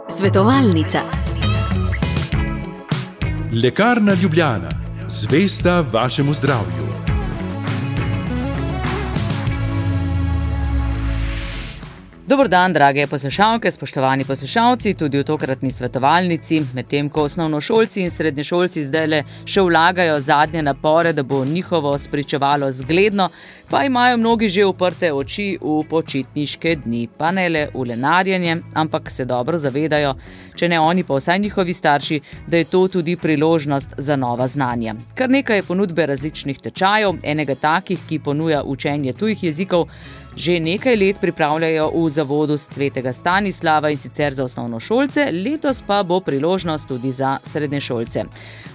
Svetovalnica. Lekarna Ljubljana, zvesta vašemu zdravju. Dober dan, drage poslušalke, spoštovani poslušalci, tudi v tokratni svetovalnici, medtem ko osnovnošolci in srednješolci zdajle še vlagajo zadnje napore, da bo njihovo spričevalo zgledno, pa imajo mnogi že uprte oči v počitniške dni, pa ne le v lenarjenje, ampak se dobro zavedajo, če ne oni, pa vsaj njihovi starši, da je to tudi priložnost za nova znanja. Kar nekaj je ponudbe različnih tečajev, enega takih, ki ponuja učenje tujih jezikov, že nekaj let pripravljajo v zavodu Svetega Stanislava in sicer za osnovnošolce, letos pa bo priložnost tudi za srednješolce.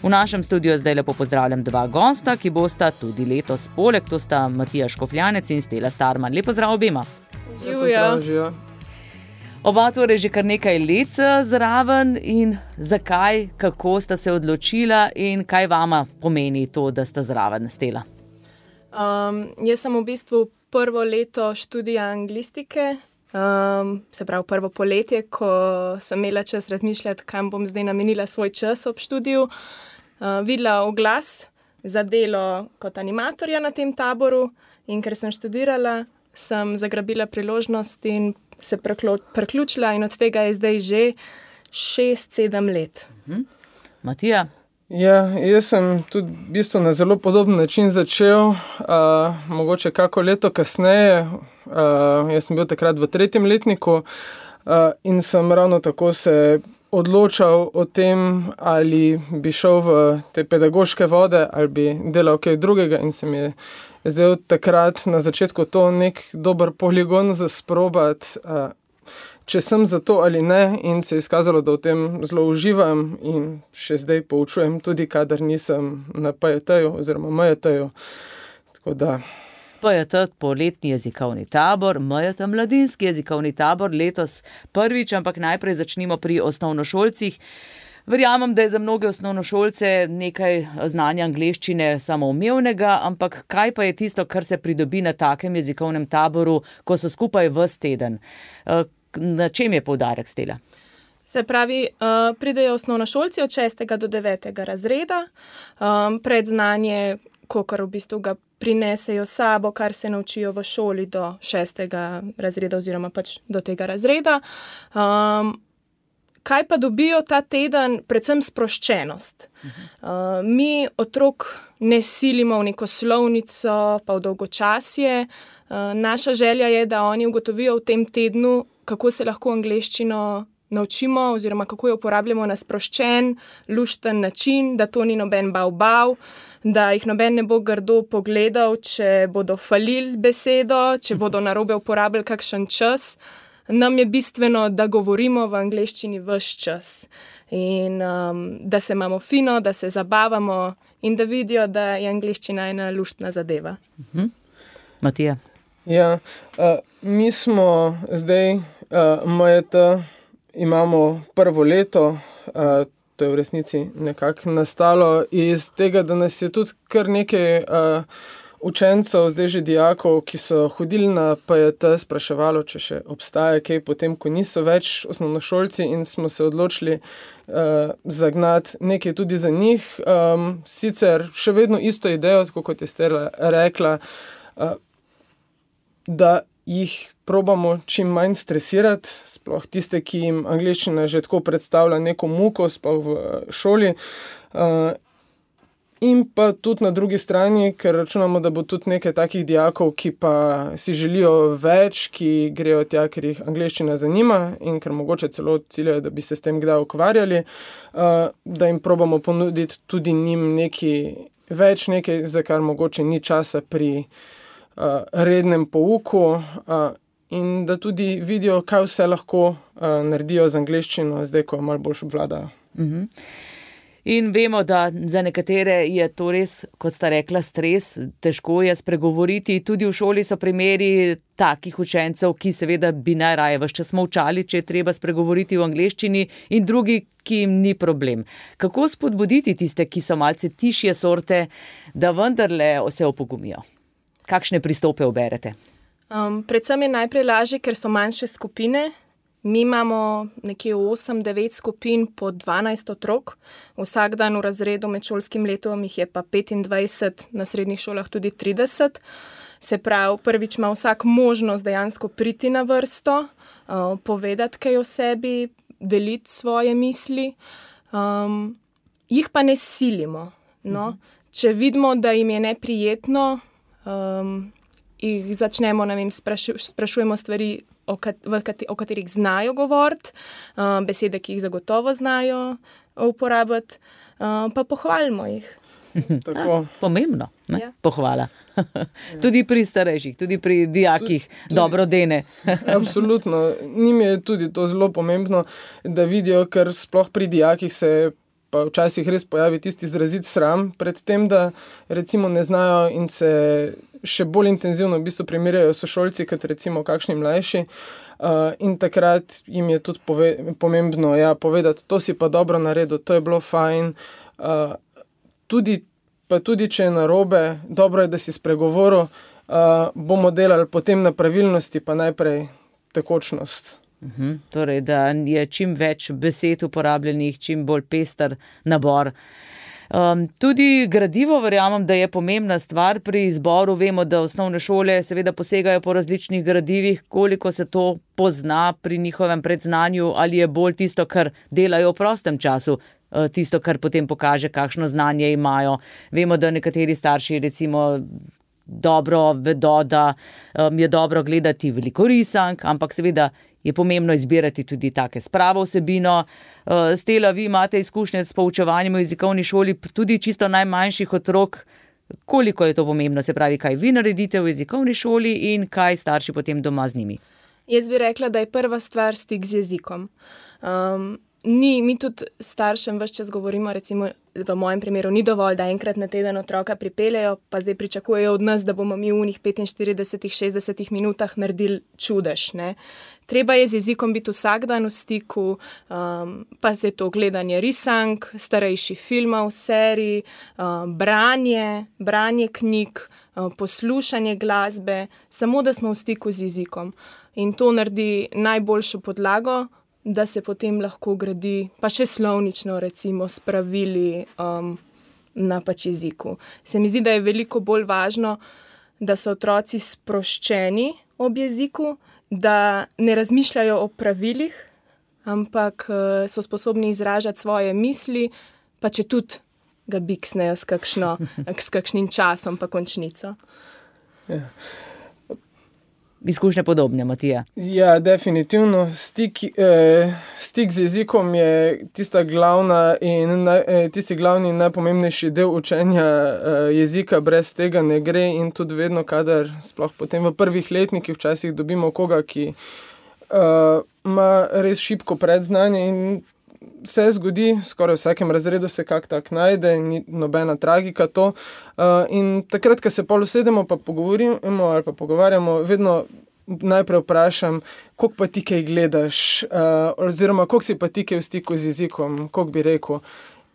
V našem studiu zdaj lepo pozdravljam dva gosta, ki bosta tudi letos poleg, to sta Matija Škofljanec in Stela Starman. Lep pozdrav obema. Živijo. Oba torej že kar nekaj let zraven in zakaj, kako sta se odločila in kaj vama pomeni to, da sta zraven, Stela? Jaz sem v bistvu prvo leto študija anglistike, se pravi prvo poletje, ko sem imela čas razmišljati, kam bom zdaj namenila svoj čas ob študiju. Videla oglas za delo kot animatorja na tem taboru in ker sem študirala, sem zagrabila priložnost in se priključila in od tega je zdaj že 6-7 let. Matija? Ja, jaz sem tudi v bistvu na zelo podoben način začel, mogoče kako leto kasneje. Jaz sem bil takrat v 3. letniku in sem ravno tako se odločal o tem, ali bi šel v te pedagoške vode ali bi delal kaj drugega in se mi je zdaj takrat na začetku to nek dober poligon za sprobati, če sem za to ali ne, in se je izkazalo, da v tem zelo uživam in še zdaj poučujem tudi, kadar nisem na PJT-ju oziroma MJT-ju. Tako da... PJT, poletni jezikovni tabor, MJT, mladinski jezikovni tabor, letos prvič, ampak najprej začnimo pri osnovnošolcih. Verjamem, da je za mnoge osnovnošolce nekaj znanja angleščine samoumevnega, ampak kaj pa je tisto, kar se pridobi na takem jezikovnem taboru, ko so skupaj ves teden? Na čem je poudarek, Stela? Se pravi, pridejo osnovnošolci od 6. do 9. razreda, predznanje, kakor v bistvu ga prinesejo sabo, kar se naučijo v šoli do 6. razreda oziroma pač do tega razreda. Kaj pa dobijo ta teden? Predvsem sproščenost. Mi otrok ne silimo v neko slovnico, pa v dolgočasje. Naša želja je, da oni ugotovijo v tem tednu, kako se lahko angleščino naučimo oziroma kako jo uporabljamo na sproščen, lušten način, da to ni noben bav, da jih noben ne bo grdo pogledal, če bodo falili besedo, če bodo narobe uporabljali kakšen čas. Nam je bistveno, da govorimo v angleščini ves čas in da se imamo fino, da se zabavamo in da vidijo, da je angleščina ena luštna zadeva. Matija? Ja, mi smo zdaj, MJT, imamo prvo leto, to je v resnici nekako nastalo iz tega, da nas je tudi kar nekaj učencev, zdaj že dijakov, ki so hodili na PJT, spraševalo, če še obstaja kaj potem, ko niso več osnovnošolci in smo se odločili zagnati nekaj tudi za njih. Sicer še vedno isto idejo, tako kot je Stela rekla, da jih probamo čim manj stresirati, sploh tiste, ki jim angleščina že tako predstavlja neko muko, sploh v šoli. In pa tudi na drugi strani, ker računamo, da bo tudi nekaj takih dijakov, ki pa si želijo več, ki grejo tja, ker jih angleščina zanima in ker mogoče celo ciljajo, da bi se s tem kdaj ukvarjali, da jim probamo ponuditi tudi njim nekaj, za kar mogoče ni časa pri rednem pouku in da tudi vidijo, kaj vse lahko naredijo z angleščino, zdaj, ko malo bolj obvladajo. In vemo, da za nekatere je to res, kot sta rekla, stres, težko je spregovoriti. Tudi v šoli so primeri takih učencev, ki seveda bi najraje ves čas molčali, če je treba spregovoriti v angleščini, in drugi, ki jim ni problem. Kako spodbuditi tiste, ki so malce tišje sorte, da vendarle se opogumijo? Kakšne pristope uberete? Predvsem je najprej lažje, ker so manjše skupine Mi imamo nekje 8-9 skupin po 12 otrok, vsak dan v razredu med šolskim letom jih je pa 25, na srednjih šolah tudi 30. Se pravi, prvič ima vsak možnost dejansko priti na vrsto, povedati kaj o sebi, deliti svoje misli, jih pa ne silimo. No? Če vidimo, da jim je neprijetno, jih začnemo, sprašujemo stvari, o katerih znajo govoriti, besede, ki jih zagotovo znajo uporabiti, pa pohvalimo jih. Tako. Pomembno, ne? Ja. Pohvala. Tudi pri starejših, tudi pri dijakih, dobro dene. Absolutno. Njim je tudi to zelo pomembno, da vidijo, ker sploh pri dijakih se pa včasih res pojavi tisti izrazit sram pred tem, da recimo ne znajo in se še bolj intenzivno v bistvu primerjajo sošolci, kot recimo kakšni mlajši. In takrat jim je tudi pomembno povedati, to si pa dobro naredil, to je bilo fajn. Tudi če je narobe, dobro je, da si spregovoril, bomo delali potem na pravilnosti, pa najprej tekočnost. Torej, da je čim več besed uporabljenih, čim bolj pester nabor. Tudi gradivo verjamem, da je pomembna stvar pri izboru. Vemo, da osnovne šole seveda posegajo po različnih gradivih, koliko se to pozna pri njihovem predznanju, ali je bolj tisto, kar delajo v prostem času, tisto, kar potem pokaže, kakšno znanje imajo. Vemo, da nekateri starši recimo dobro vedo, da je dobro gledati veliko risank, ampak seveda je pomembno izbirati tudi take s pravo vsebino. Stela, vi imate izkušnje s poučevanjem v jezikovni šoli, tudi čisto najmanjših otrok. Koliko je to pomembno? Se pravi, kaj vi naredite v jezikovni šoli in kaj starši potem doma z njimi? Jaz bi rekla, da je prva stvar stik z jezikom. Mi tudi staršem ves čas govorimo, recimo v mojem primeru ni dovolj, da enkrat na teden otroka pripeljejo, pa zdaj pričakujejo od nas, da bomo mi v njih 45-60 minutah naredili čudež. Ne? Treba je z jezikom biti vsak dan v stiku, pa je to gledanje risank, starejših filmov, serij, branje knjig, poslušanje glasbe, samo da smo v stiku z jezikom. In to naredi najboljšo podlago, da se potem lahko gradi, pa še slovnično recimo, spravili na pač jeziku. Se mi zdi, da je veliko bolj važno, da so otroci sproščeni ob jeziku, da ne razmišljajo o pravilih, ampak so sposobni izražati svoje misli, pa če tudi ga biksnejo s kakšnim časom pa končnico. Ja. Izkušnje podobne, Matija. Ja, definitivno. Stik z jezikom je tisti glavni in najpomembnejši del učenja jezika. Brez tega ne gre in tudi vedno, kadar sploh potem v prvih letnikih včasih dobimo koga, ki ima res šibko predznanje in se zgodi, skoraj v vsakem razredu se kak tak najde, ni nobena tragika to. In takrat, ko se pol usedemo pa pogovorimo ali pa pogovarjamo, vedno najprej vprašam, koliko pa ti kaj gledaš, oziroma koliko si pa ti kaj v stiku z jezikom, koliko bi rekel.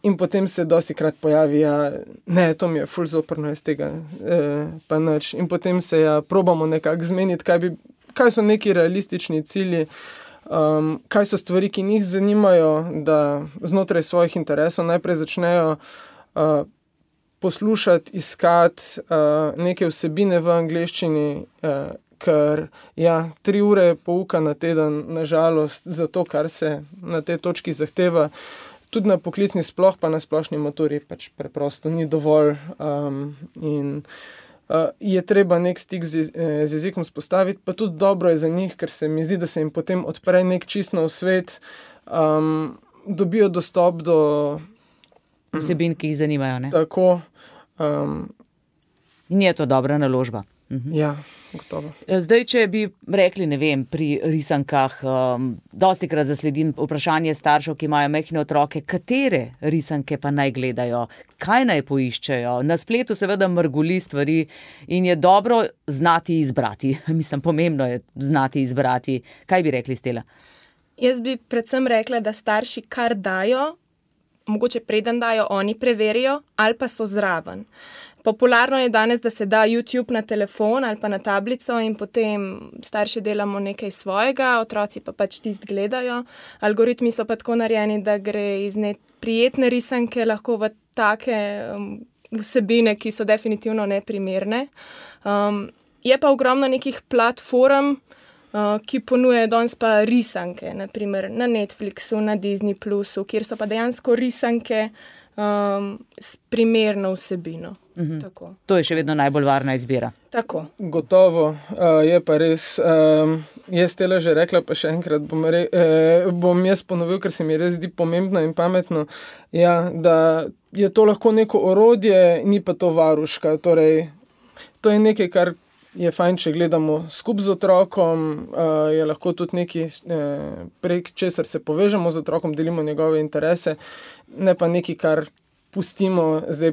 In potem se dostikrat pojavi, ne, to mi je ful zoprno iz tega, pa nič. In potem se probamo nekako zmeniti, kaj so neki realistični cilji, kaj so stvari, ki njih zanimajo, da znotraj svojih interesov najprej začnejo poslušati, iskati neke vsebine v angleščini, ker 3 ure pouka na teden, nažalost, za to, kar se na tej točki zahteva, tudi na poklicni sploh, pa na splošni maturi pač preprosto ni dovolj in je treba nek stik z jezikom spostaviti, pa tudi dobro je za njih, ker se mi zdi, da se jim potem odpre nek čist nov svet, dobijo dostop do vsebin, ki jih zanimajo, ne? Tako. In je to dobra naložba. Ja, gotovo. Zdaj, če bi rekli, ne vem, pri risankah, dostikrat zasledim vprašanje staršev, ki imajo majhne otroke, katere risanke pa naj gledajo, kaj naj poiščejo. Na spletu seveda mrgoli stvari in je dobro znati izbrati. Mislim, pomembno je znati izbrati. Kaj bi rekli, Stela? Jaz bi predvsem rekla, da starši kar dajo, mogoče preden dajo, oni preverijo ali pa so zraven. Popularno je danes, da se da YouTube na telefon ali pa na tablico in potem starši delamo nekaj svojega, otroci pa pač tisto gledajo. Algoritmi so pa tako narejeni, da gre iz prijetne risanke lahko v take vsebine, ki so definitivno neprimerne. Je pa ogromno nekih platform, ki ponujajo danes pa risanke, naprimer na Netflixu, na Disney Plusu, kjer so pa dejansko risanke s primerno vsebino. Tako. To je še vedno najbolj varna izbira. Tako. Gotovo, je pa res. Jaz tele že rekla, pa še enkrat bom jaz ponovil, ker se mi res zdi pomembno in pametno, da je to lahko neko orodje, ni pa to varuška. Torej, to je nekaj, kar je fajn, če gledamo skupaj z otrokom, je lahko tudi nekaj, prek česar se povežemo z otrokom, delimo njegove interese, ne pa nekaj, kar pustimo, zdaj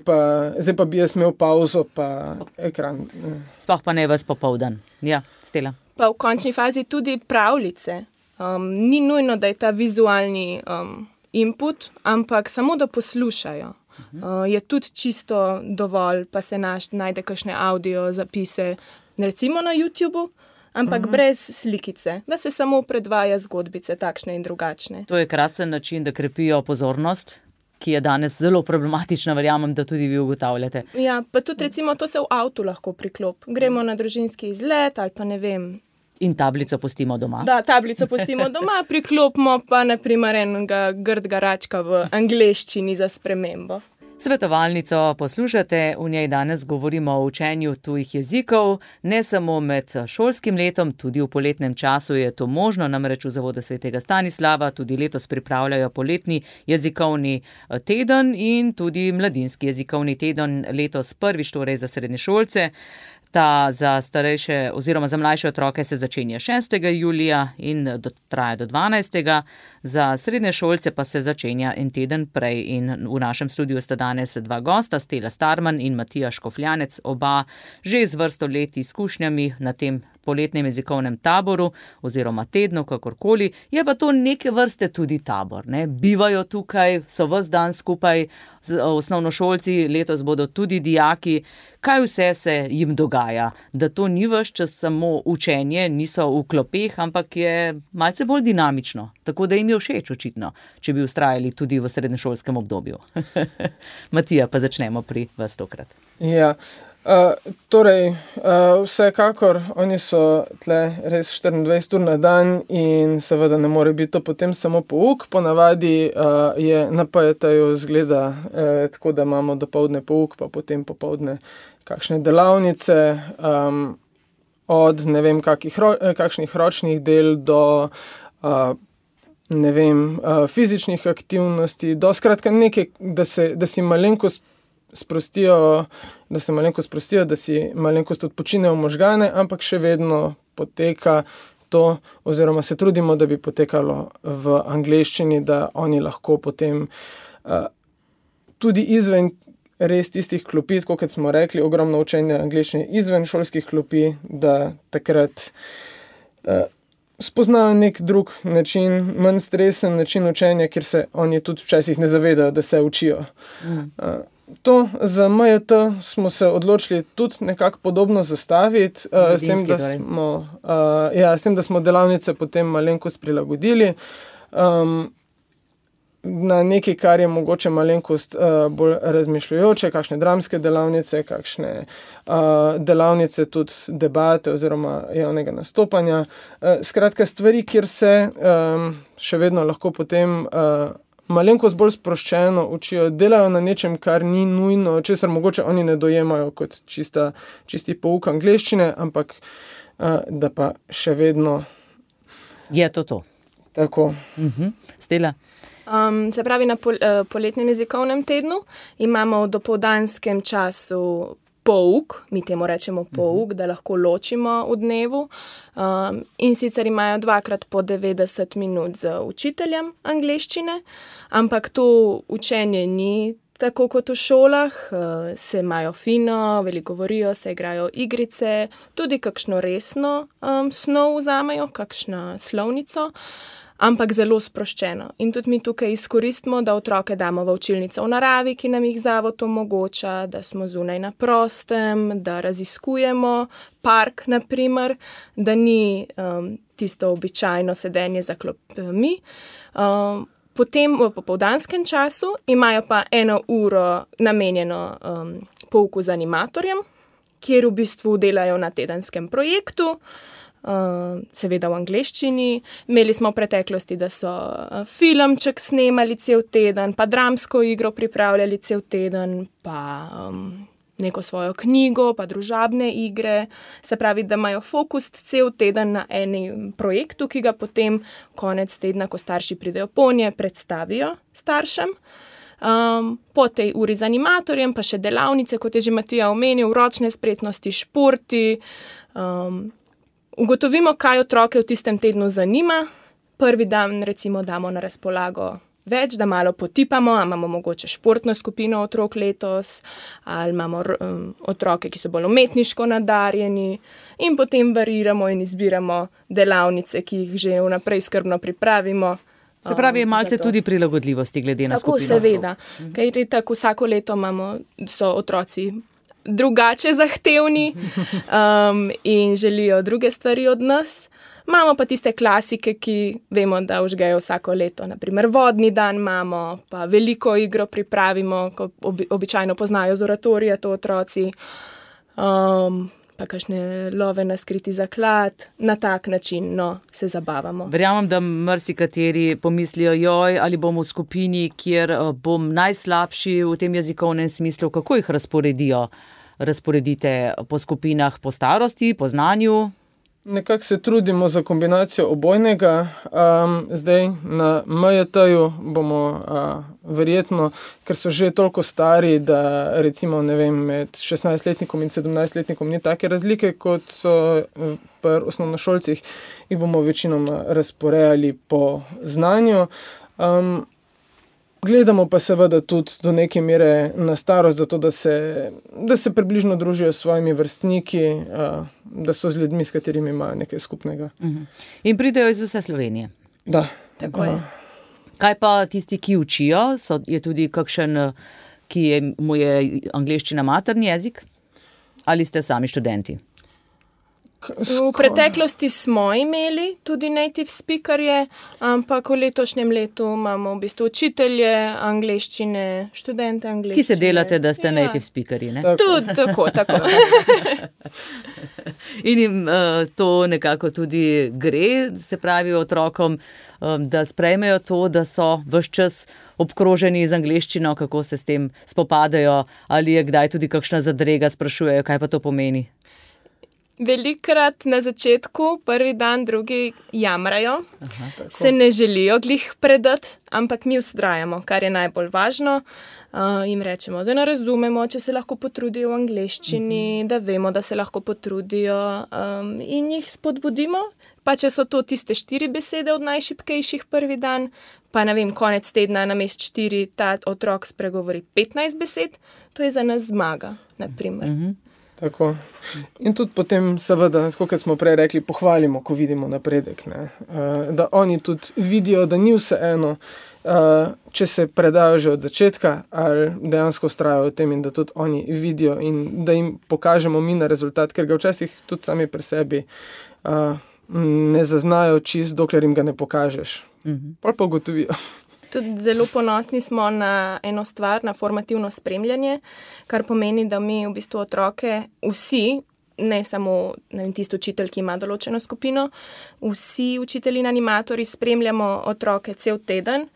pa bi jaz imel pauzo, pa ekran. Sploh pa ne ves popoldan. Ja, Stela. Pa v končni fazi tudi pravljice. Ni nujno, da je ta vizualni input, ampak samo da poslušajo. Je tudi čisto dovolj, pa se najde kakšne audio zapise, recimo na YouTubu, ampak brez slikice, da se samo predvaja zgodbice, takšne in drugačne. To je krasen način, da krepijo pozornost, ki je danes zelo problematična, verjamem, da tudi vi ugotavljate. Ja, pa tudi recimo to se v avtu lahko priklop. Gremo na družinski izlet ali pa ne vem. In tablico pustimo doma. Da, tablico pustimo doma, priklopimo pa naprimer enega grdega račka v angleščini za spremembo. Svetovalnico poslušate, v njej danes govorimo o učenju tujih jezikov, ne samo med šolskim letom, tudi v poletnem času je to možno, namreč v Zavodu svetega Stanislava tudi letos pripravljajo poletni jezikovni teden in tudi mladinski jezikovni teden, letos prvič torej za srednješolce. Ta za starejše oziroma za mlajše otroke se začenja 6. julija in traja do 12. Za srednje šolce pa se začenja en teden prej in v našem studiu sta danes dva gosta, Stela Starman in Matija Škofljanec, oba že z vrsto let izkušnjami na tem poletnem jezikovnem taboru oziroma tednu, kakorkoli. Je pa to neke vrste tudi tabor, ne? Bivajo tukaj, so ves dan skupaj z osnovnošolci, letos bodo tudi dijaki. Kaj vse se jim dogaja? Da to ni ves čas samo učenje, niso v klopeh, ampak je malce bolj dinamično. Tako da jim je všeč očitno, če bi vztrajali tudi v srednješolskem obdobju. Matija, pa začnemo pri vas tokrat. Ja, vsekakor, oni so tle res 24 ur na dan in seveda ne more biti to potem samo pouk. Ponavadi je na PJT-ju zgleda tako, da imamo dopoldne pouk, pa potem popoldne kakšne delavnice, od ne vem kakšnih ročnih del do fizičnih aktivnosti, do skratka nekaj, da si malenkost sprostijo, da si malenkost odpočinejo možgane, ampak še vedno poteka to, oziroma se trudimo, da bi potekalo v angleščini, da oni lahko potem tudi izven res tistih klopi, tako kot smo rekli, ogromno učenja angleščine izven šolskih klopi, da takrat spoznajo nek drug način, manj stresen način učenja, kjer se oni tudi včasih ne zavedajo, da se učijo. To za MJT smo se odločili tudi nekako podobno zastaviti, s tem, da smo delavnice potem malenkost prilagodili na nekaj, kar je mogoče malenkost bolj razmišljujoče, kakšne dramske delavnice, kakšne delavnice tudi debate oziroma javnega nastopanja. Skratka, stvari, kjer se še vedno lahko potem malenkost bolj sproščeno učijo, delajo na nečem, kar ni nujno, česar mogoče oni ne dojemajo kot čisti pouk angleščine, ampak da pa še vedno je to. Tako. Stela? Se pravi, na poletnem jezikovnem tednu imamo v dopoldanskem času pouk, mi temu rečemo pouk, da lahko ločimo v dnevu, in sicer imajo 2x po 90 minut z učiteljem angleščine, ampak to učenje ni tako kot v šolah, se imajo fino, veliko govorijo, se igrajo igrice, tudi kakšno resno snov vzamejo, kakšno slovnico. ampak zelo sproščeno. In tudi mi tukaj izkoristimo, da otroke damo v učilnico v naravi, ki nam jih zavod omogoča, da smo zunaj na prostem, da raziskujemo park, naprimer, da ni tisto običajno sedenje za klopmi. Potem v popoldanskem času imajo pa 1 uro namenjeno pouku z animatorjem, kjer v bistvu delajo na tedenskem projektu, seveda v angleščini. Imeli smo v preteklosti, da so filmček snemali cel teden, pa dramsko igro pripravljali cel teden, pa neko svojo knjigo, pa družabne igre. Se pravi, da imajo fokus cel teden na enem projektu, ki ga potem konec tedna, ko starši pridejo ponje, predstavijo staršem. Po tej uri z animatorjem pa še delavnice, kot je že Matija omenil, ročne spretnosti, športi. Ugotovimo, kaj otroke v tistem tednu zanima. Prvi dan recimo damo na razpolago več, da malo potipamo, ali imamo mogoče športno skupino otrok letos, ali imamo otroke, ki so bolj umetniško nadarjeni, in potem variramo in izbiramo delavnice, ki jih že vnaprej skrbno pripravimo. Se pravi, je malce tudi prilagodljivosti glede na skupino. Tako, seveda. Ker tako vsako leto so otroci drugače zahtevni in želijo druge stvari od nas. Imamo pa tiste klasike, ki vemo, da užgejo vsako leto. Naprimer, vodni dan imamo, pa veliko igro pripravimo, ko običajno poznajo z oratorija to otroci, pa kakšne love na skriti zaklad. Na tak način se zabavamo. Verjamem, da marsikateri pomislijo, joj, ali bom v skupini, kjer bom najslabši v tem jezikovnem smislu, kako jih razporedite po skupinah, po starosti, po znanju? Nekako se trudimo za kombinacijo obojnega. Zdaj na MJT-ju bomo verjetno, ker so že toliko stari, da recimo, ne vem, med 16-letnikom in 17-letnikom ni take razlike, kot so pri osnovnošolcih, jih bomo večinoma razporejali po znanju. Gledamo pa seveda tudi do neke mere na starost, zato da se približno družijo s svojimi vrstniki, da so z ljudmi, s katerimi imajo nekaj skupnega. In pridejo iz vse Slovenije. Da. Tako je. Kaj pa tisti, ki učijo? Je tudi kakšen, mu je angleščina materni jezik? Ali ste sami študenti? V preteklosti smo imeli tudi native speakerje, ampak v letošnjem letu imamo v bistvu učitelje angleščine, študente angleščine. Ki se delate, da ste native speakerji, ne? Tudi tako. In jim to nekako tudi gre, se pravi otrokom, da sprejmejo to, da so ves čas obkroženi z angleščino, kako se s tem spopadajo, ali je kdaj tudi kakšna zadrega, sprašujejo, kaj pa to pomeni? Velikrat na začetku, prvi dan, drugi jamrajo, se ne želijo glih predati, ampak mi vztrajamo, kar je najbolj važno. Jim rečemo, da ne razumemo, če se lahko potrudijo v angleščini, da vemo, da se lahko potrudijo, in jih spodbudimo. Pa če so to tiste 4 besede od najšibkejših prvi dan, pa ne vem, konec tedna namesto 4 ta otrok spregovori 15 besed, to je za nas zmaga, naprimer. Tako. In tudi potem seveda, tako kot smo prej rekli, pohvalimo, ko vidimo napredek, ne? Da oni tudi vidijo, da ni vseeno, če se predajo že od začetka, ali dejansko vztrajajo v tem, in da tudi oni vidijo in da jim pokažemo mi na rezultat, ker ga včasih tudi sami pri sebi ne zaznajo čist, dokler jim ga ne pokažeš. Pol pa ugotovijo. Tudi zelo ponosni smo na eno stvar, na formativno spremljanje, kar pomeni, da mi v bistvu otroke vsi, ne samo tisti učitelj, ki ima določeno skupino, vsi učitelji in animatorji spremljamo otroke cel teden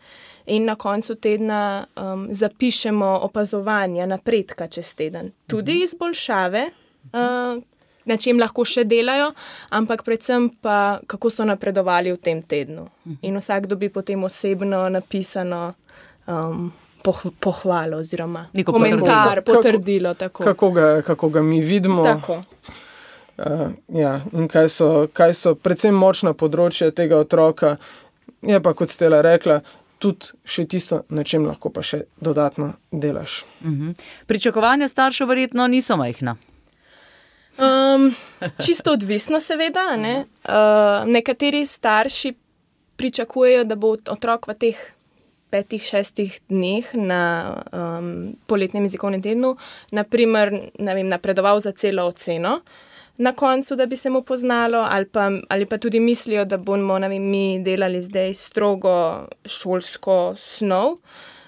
in na koncu tedna zapišemo opazovanja, napredka čez teden. Tudi izboljšave, na čem lahko še delajo, ampak predvsem pa, kako so napredovali v tem tednu. In vsak dobi potem osebno napisano pohvalo oziroma komentar, potrdilo. Kako ga mi vidimo. Tako. In kaj so predvsem močna področja tega otroka, je pa, kot Stela rekla, tudi še tisto, na čem lahko pa še dodatno delaš. Pričakovanja staršev verjetno niso majhna. Čisto odvisno seveda, ne? Nekateri starši pričakujejo, da bo otrok v teh 5-6 dneh na poletnem jezikovnem tednu, naprimer, napredoval za celo oceno na koncu, da bi se mu poznalo, ali pa tudi mislijo, da bomo mi delali zdaj strogo šolsko snov,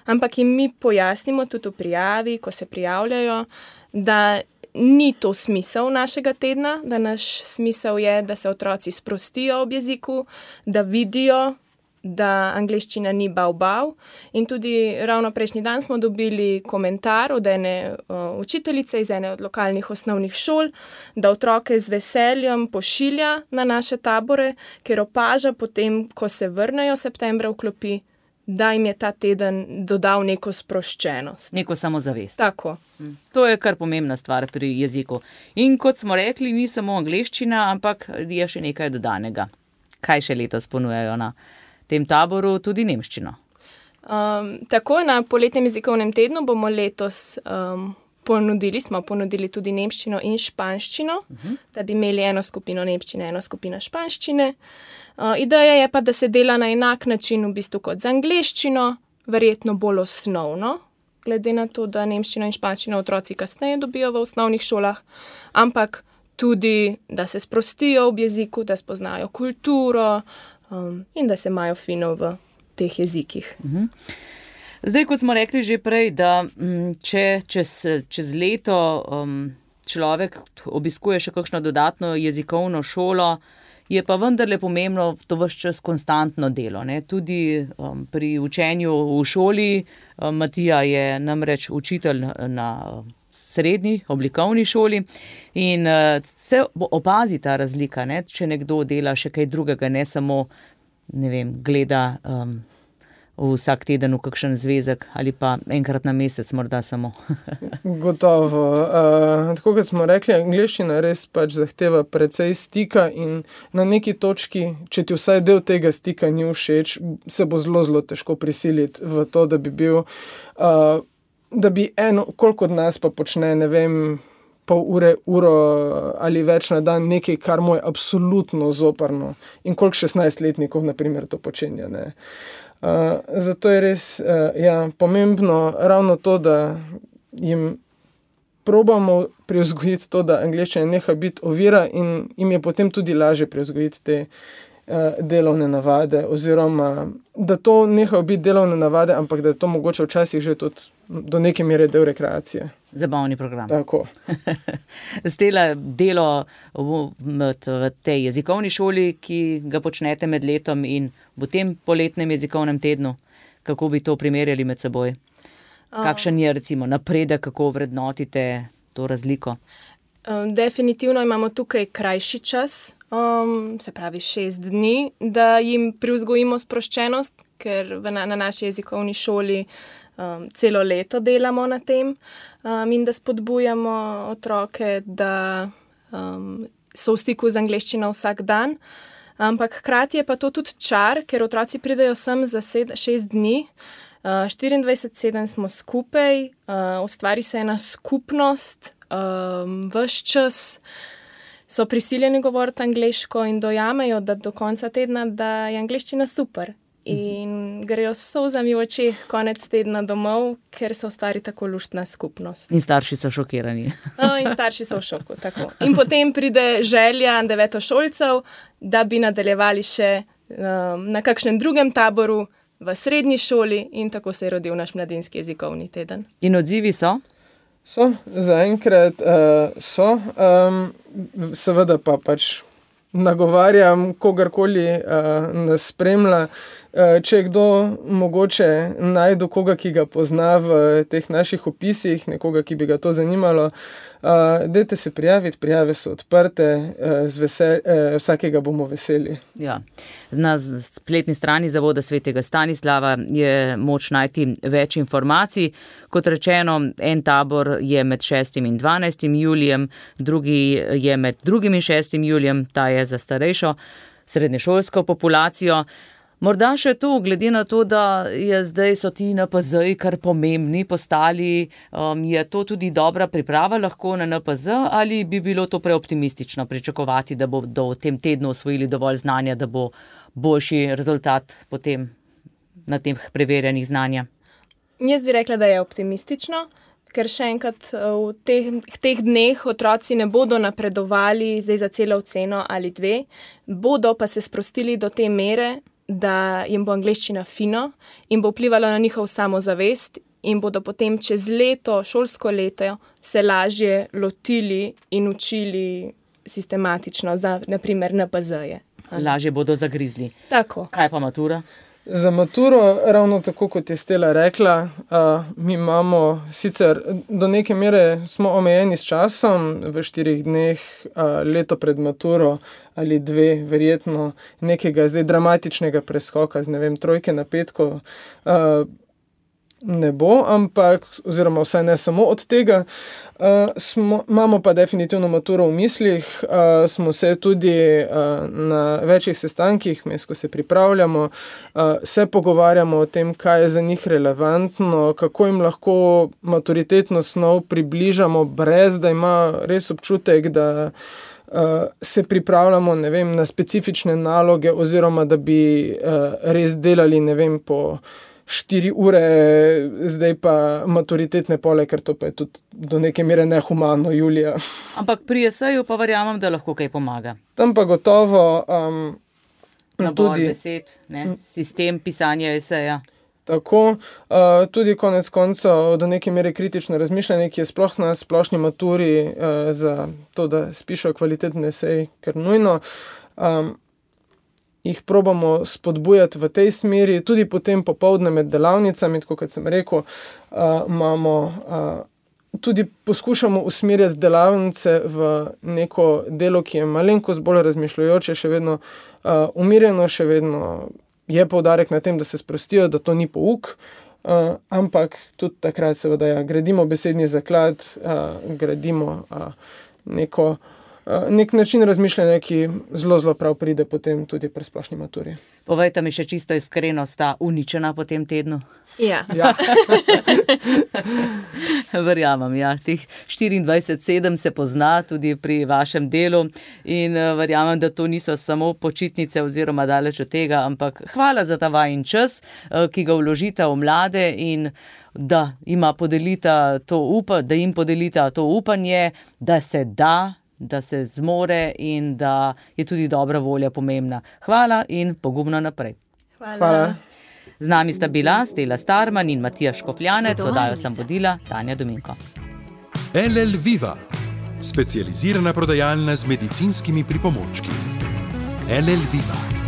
ampak jim mi pojasnimo tudi v prijavi, ko se prijavljajo, da ni to smisel našega tedna, da naš smisel je, da se otroci sprostijo ob jeziku, da vidijo, da angleščina ni bav. In tudi ravno prejšnji dan smo dobili komentar od ene učiteljice iz ene od lokalnih osnovnih šol, da otroke z veseljem pošilja na naše tabore, ker opaža potem, ko se vrnejo septembra v klopi, da jim je ta teden dodal neko sproščenost. Neko samozavest. Tako. To je kar pomembna stvar pri jeziku. In kot smo rekli, ni samo angleščina, ampak je še nekaj dodanega. Kaj še letos ponujajo na tem taboru? Tudi nemščino. Tako, na poletnem jezikovnem tednu bomo letos smo ponudili tudi nemščino in španščino, da bi imeli eno skupino nemščine, eno skupino španščine. Ideja je pa, da se dela na enak način v bistvu kot z angleščino, verjetno bolj osnovno, glede na to, da nemščino in španščino otroci kasneje dobijo v osnovnih šolah, ampak tudi, da se sprostijo ob jeziku, da spoznajo kulturo in da se imajo fino v teh jezikih. Zdaj, kot smo rekli že prej, da če čez leto človek obiskuje še kakšno dodatno jezikovno šolo, je pa vendarle pomembno to ves čas konstantno delo, ne? Tudi pri učenju v šoli. Matija je namreč učitelj na srednji oblikovni šoli in se opazi ta razlika, ne? Če nekdo dela še kaj drugega, ne samo, gleda vsak teden v kakšen zvezek ali pa enkrat na mesec morda samo. Gotovo. Tako kot smo rekli, angleščina res pač zahteva precej stika in na neki točki, če ti vsaj del tega stika ni všeč, se bo zelo, zelo težko prisiliti v to, da bi bil, koliko od nas pa počne, pol ure, uro ali več na dan nekaj, kar mu je absolutno zoprno in koliko 16-letnikov, na primer, to počenja, ne. Zato je res pomembno ravno to, da jim probamo privzgojiti to, da angleščina neha biti ovira in jim je potem tudi lažje privzgojiti te delovne navade, oziroma da to nehajo biti delovne navade, ampak da je to mogoče včasih že tudi do neke mere del rekreacije. Zabavni program. Tako. Stela, delo v tej jezikovni šoli, ki ga počnete med letom in v tem poletnem jezikovnem tednu, kako bi to primerjali med seboj? Kakšen je recimo napredek, kako vrednotite to razliko? Definitivno imamo tukaj krajši čas, se pravi 6 dni, da jim privzgojimo sproščenost, ker na naši jezikovni šoli celo leto delamo na tem in da spodbujamo otroke, da so v stiku z angleščino vsak dan. Ampak hkrati je pa to tudi čar, ker otroci pridejo sem za 6 dni, 24/7 smo skupaj, ustvari se ena skupnost, ves čas so prisiljeni govoriti angleško in dojamejo, da do konca tedna, da je angleščina super. In grejo s solzami v očeh konec tedna domov, ker so ustvari tako luštna skupnost. In starši so šokirani. In starši so v šoku, tako. In potem pride želja devetošolcev, da bi nadaljevali še na kakšnem drugem taboru v srednji šoli in tako se je rodil naš mladinski jezikovni teden. In odzivi so? So, zaenkrat so. Seveda pa pač nagovarjam kogarkoli nas spremlja. Če je kdo mogoče najdu koga, ki ga pozna v teh naših opisih, nekoga, ki bi ga to zanimalo, dajte se prijaviti, prijave so odprte, vsakega bomo veseli. Ja. Na spletni strani Zavoda svetega Stanislava je moč najti več informacij. Kot rečeno, en tabor je med 6. in 12. julijem, drugi je med 2. in 6. julijem, ta je za starejšo srednješolsko populacijo. Morda še to, glede na to, da so ti NPZ-ji kar pomembni postali, je to tudi dobra priprava lahko na NPZ, ali bi bilo to preoptimistično pričakovati, da bodo v tem tednu osvojili dovolj znanja, da bo boljši rezultat potem na teh preverjanjih znanja? Jaz bi rekla, da je optimistično, ker še enkrat v teh dneh otroci ne bodo napredovali zdaj za celo oceno ali 2, bodo pa se sprostili do te mere, da jim bo angleščina fino in bo vplivalo na njihov samozavest in bodo potem čez leto, šolsko leto, se lažje lotili in učili sistematično za, naprimer, NPZ-je. Lažje bodo zagrizli. Tako. Kaj pa matura? Za maturo, ravno tako kot je Stela rekla, mi imamo sicer do neke mere smo omejeni s časom, v 4 dneh, leto pred maturo ali 2, verjetno nekega zdaj dramatičnega preskoka z, 3 na 5 ne bo, ampak, oziroma vsaj ne samo od tega, imamo pa definitivno maturo v mislih, smo se tudi na večjih sestankih, ko se pripravljamo, se pogovarjamo o tem, kaj je za njih relevantno, kako jim lahko maturitetno snov približamo, brez da ima res občutek, da se pripravljamo, na specifične naloge, oziroma da bi res delali, po 4 ure, zdaj pa maturitetne pole, ker to pa je tudi do neke mere nehumano, Julija. Ampak pri eseju pa verjamem, da lahko kaj pomaga. Tam pa gotovo nabor besed, sistem pisanja eseja. Tako, tudi konec koncev do neke mere kritično razmišljanje, ki je sploh na splošni maturi za to, da spišejo kvalitetne esej, ker nujno. Jih probamo spodbujati v tej smeri, tudi potem popoldne med delavnicami, tako kot sem rekel, tudi poskušamo usmerjati delavnice v neko delo, ki je malenkost bolj razmišljajoče, še vedno umirjeno, še vedno je poudarek na tem, da se sprostijo, da to ni pouk, ampak tudi takrat seveda gradimo besedni zaklad, gradimo nek način razmišljanja, ki zelo prav pride potem tudi pri splošni maturi. Povejte mi še čisto iskreno, sta uničena po tem tednu? Ja. Verjamem, teh 24/7 se pozna tudi pri vašem delu in verjamem, da to niso samo počitnice oziroma daleč od tega, ampak hvala za ta vajin čas, ki ga vložite v mlade in da jim podelita to upanje, da se da se zmore in da je tudi dobra volja pomembna. Hvala in pogumno naprej. Hvala. Z nami sta bila Stela Starman in Matija Škofljanec, oddajo sem vodila Tanja Dominko. LL Viva, specializirana prodajalna z medicinskimi pripomočki. LL Viva.